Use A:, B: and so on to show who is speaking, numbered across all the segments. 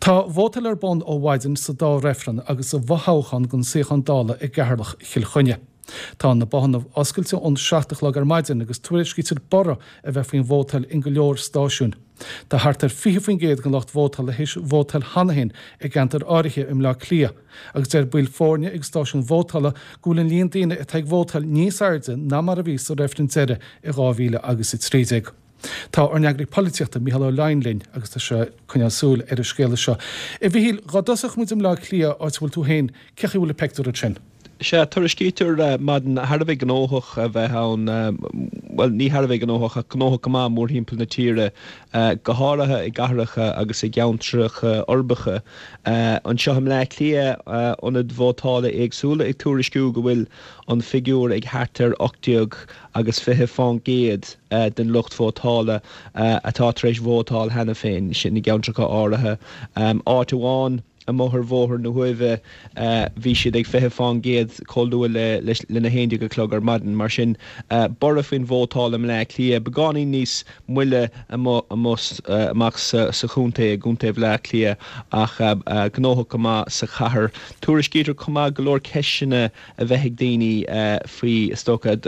A: Tá vótáil ar bun ó mhaidin sa dá reifreann agus sa bhfothoghchán don suíochán Dála i gCeatharlach Chill Chainnigh. Tá na bothanna oscailte ón 7 a chlog ar maidin agus tuairiscítear borradh a bheith faoin vótáil in go leor stáisiún. Tá thart ar 20% den lucht vótála théis vótáil cheana féin i gceantair áirithe i mBleá Cliath agus deir baill foirne ag stáisiúin vótála go bhfuil an líon daoine atá ag vótáil níos airde ná mar a bhí sa reifreann deiridh i 2013. Tá ár n-eagraí polaitíochta, Mícheál Ó Leidhin linn agus tá sé ag coinneáil súil ar an scéala seo. A Mhichíl, dhá dtosódh muid i mBleá Cliath, áit a bhfuil tú féin, cén chaoi a bhfuil na pictiúir ansin?
B: Sea, tuairiscítear maidin thar a bheith gnóthach a bheith ann, bhuel, ní thar a bheith gnóthach ach gnóthach go maith mórthimpeall na tíre, go háirithe i gcathracha agus i gceantracha uirbeacha. Anseo i mBleá Cliath, ionaid vótála éagsúla ag tuairisciú go bhfuil an figiúr ag thart ar 18 agus 20% den lucht vótála atá tar éis vótáil cheana féin, sin i gceantracha áirithe. Áit amháin amuigh ar Bhóthar na hUaimhe, bhí siad ag 20% chomh luath le lena 11 a chlog ar maidin. Mar sin, borradh faoin vótáil i mBleá Cliath, beagáinín níos moille amuigh amach sa chontae, i gcontae Bhleá Cliath, ach gnóthach go maith sa chathair. Tuairiscítear chomh maith go leor ceisteanna a bheith ag daoine faoi, is dócha,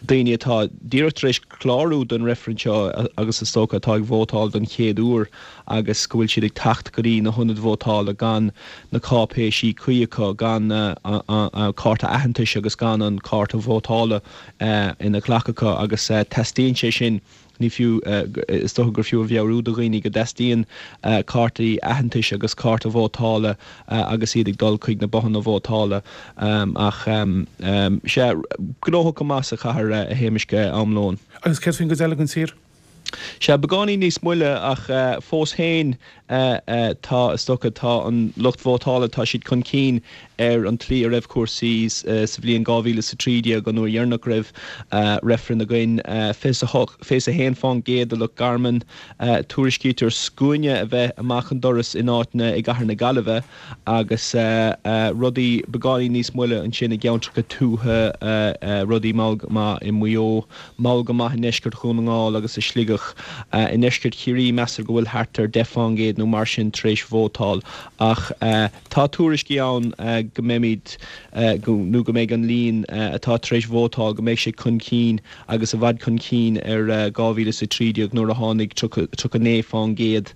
B: daoine atá díreach tar éis clárú don reifreann seo agus is dócha atá ag vótáil don chéad uair agus go bhfuil siad ag teacht go dtí na hionaid vótála gan na cáipéisí cuí acu, gan an cárta aitheantais agus gan an cárta vótála ina nglac acu agus teastaíonn sé sin. Ní fiú, is dócha gur fiú a mheabhrú do dhaoine go dteastaíonn cártaí aitheantais agus cárta vótála agus iad ag dul chuig na bothanna vótála. Ach, sea, gnóthach go maith sa chathair, a Shéamais, am lóin.
A: Agus céard faoin gcuid eile den tír?
B: Sea, beagáinín níos moille ach fós féin tá, is dócha, tá an lucht vótála, tá siad chun cinn ar an tslí a raibh cúrsaí sa bhliain 2013, an uair dheireanach go raibh reifreann againn. 21% i Loch Garman. Tuairiscítear scuaine a bheith amach an doras in áiteanna i gcathair na Gaillimhe agus rudaí beagáinín níos moille ansin i gceantracha tuaithe, rudaí mall go maith i Maigh Eo, mall go maith i ndeisceart Dhún na nGall agus i Sligeach. I ndeisceart Chiarraí meastar go bhfuil thart ar 10% nó mar sin tar éis vótáil ach tá tuairiscí ann go mbeimid, nó go mbeidh an líon atá tar éis vótáil, go mbeidh sé chun cinn agus i bhfad chun cinn ar 2013 nuair a tháinig 39%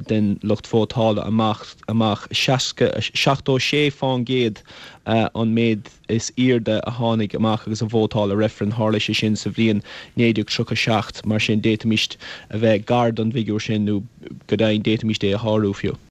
B: den lucht vótála amach, amach 76% an méid is airde a tháinig amach agus a vótáil i reifreann. Tharla sé sin sa bhliain 1937, mar sin d'fhéadfaimis a bheith gar don bhfigiúr sin nó go deimhin d'fhéadfaimis é a shárú fiú.